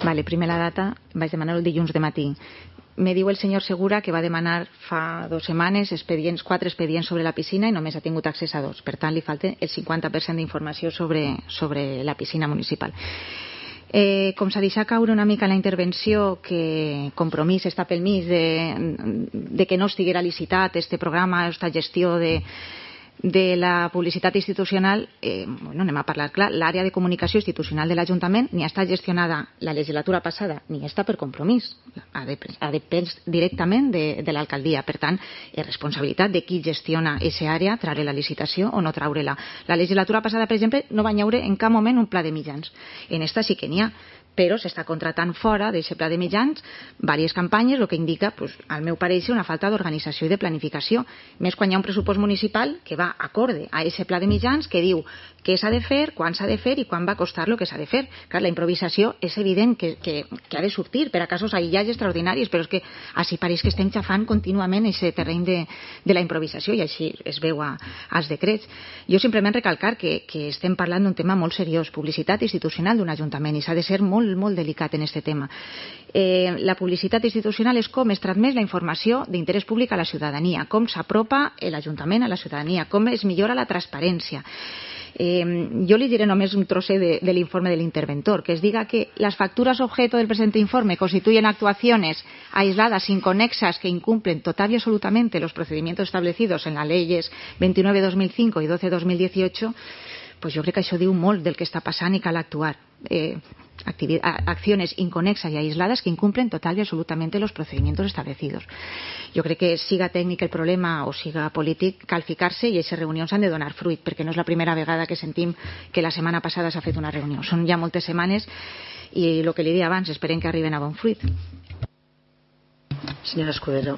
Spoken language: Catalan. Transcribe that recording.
Vale, primer la data, vaig demanar el dilluns de matí. Me diu el senyor Segura que va demanar fa 2 setmanes 4 expedients sobre la piscina i només ha tingut accés a 2. Per tant, li falta el 50% d'informació sobre la piscina municipal. Com s'ha deixat caure una mica en la intervenció que Compromís està pel mig de que no estiguera licitat este programa, aquesta gestió de la publicitat institucional, anem a parlar clar, l'àrea de comunicació institucional de l'Ajuntament ni ha estat gestionada la legislatura passada ni està per Compromís, ha depès directament de l'alcaldia. Per tant, és responsabilitat de qui gestiona aquesta àrea treure la licitació o no treure-la. La legislatura passada, per exemple, no va haver en cap moment un pla de mitjans. En esta sí que n'hi ha, però s'està contratant fora d'aquest pla de mitjans diverses campanyes, el que indica, al meu pareixer, una falta d'organització i de planificació. Més quan hi ha un pressupost municipal que va acorde a aquest pla de mitjans que diu què s'ha de fer, quan s'ha de fer i quan va costar el que s'ha de fer. Clar, la improvisació és evident que ha de sortir per a casos aïllats extraordinaris, però és que així pareix que estem xafant contínuament aquest terreny de la improvisació i així es veu als decrets. Jo simplement recalcar que estem parlant d'un tema molt seriós, publicitat institucional d'un ajuntament, i s'ha de ser molt delicat en aquest tema. La publicitat institucional és com es transmet la informació d'interès públic a la ciutadania, com s'apropa l'Ajuntament a la ciutadania, com es millora la transparència. Yo les diré només un trocet del informe del interventor, que es diga que las facturas objeto del presente informe constituyen actuaciones aisladas, inconexas, que incumplen total y absolutamente los procedimientos establecidos en las leyes 29/2005 y 12/2018, pues jo crec que això diu molt del que està passant i cal actuar. Acciones inconexas y aisladas que incumplen total y absolutamente los procedimientos establecidos. Jo crec que siga tècnic el problema o siga polític, cal ficar-se i aquestes reunions han de donar fruit, perquè no és la primera vegada que sentim que la setmana passada s'ha fet una reunió. Són ja moltes setmanes i el que li deia abans, esperem que arriben a bon fruit. Senyora Escudero.